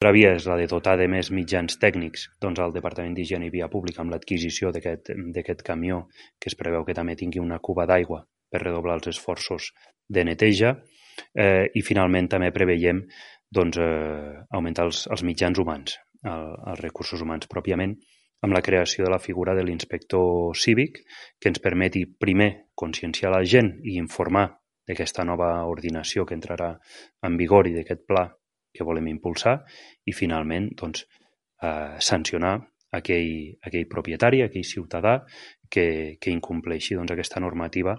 L'altra via és la de dotar de més mitjans tècnics al Departament d'Higiene i Via Pública amb l'adquisició d'aquest camió, que es preveu que també tingui una cuba d'aigua per redoblar els esforços de neteja, i finalment també preveiem augmentar els mitjans humans, els recursos humans pròpiament, amb la creació de la figura de l'inspector cívic, que ens permeti primer conscienciar la gent i informar d'aquesta nova ordinació que entrarà en vigor i d'aquest pla que volem impulsar, i finalment sancionar aquell propietari, aquell ciutadà que incompleixi aquesta normativa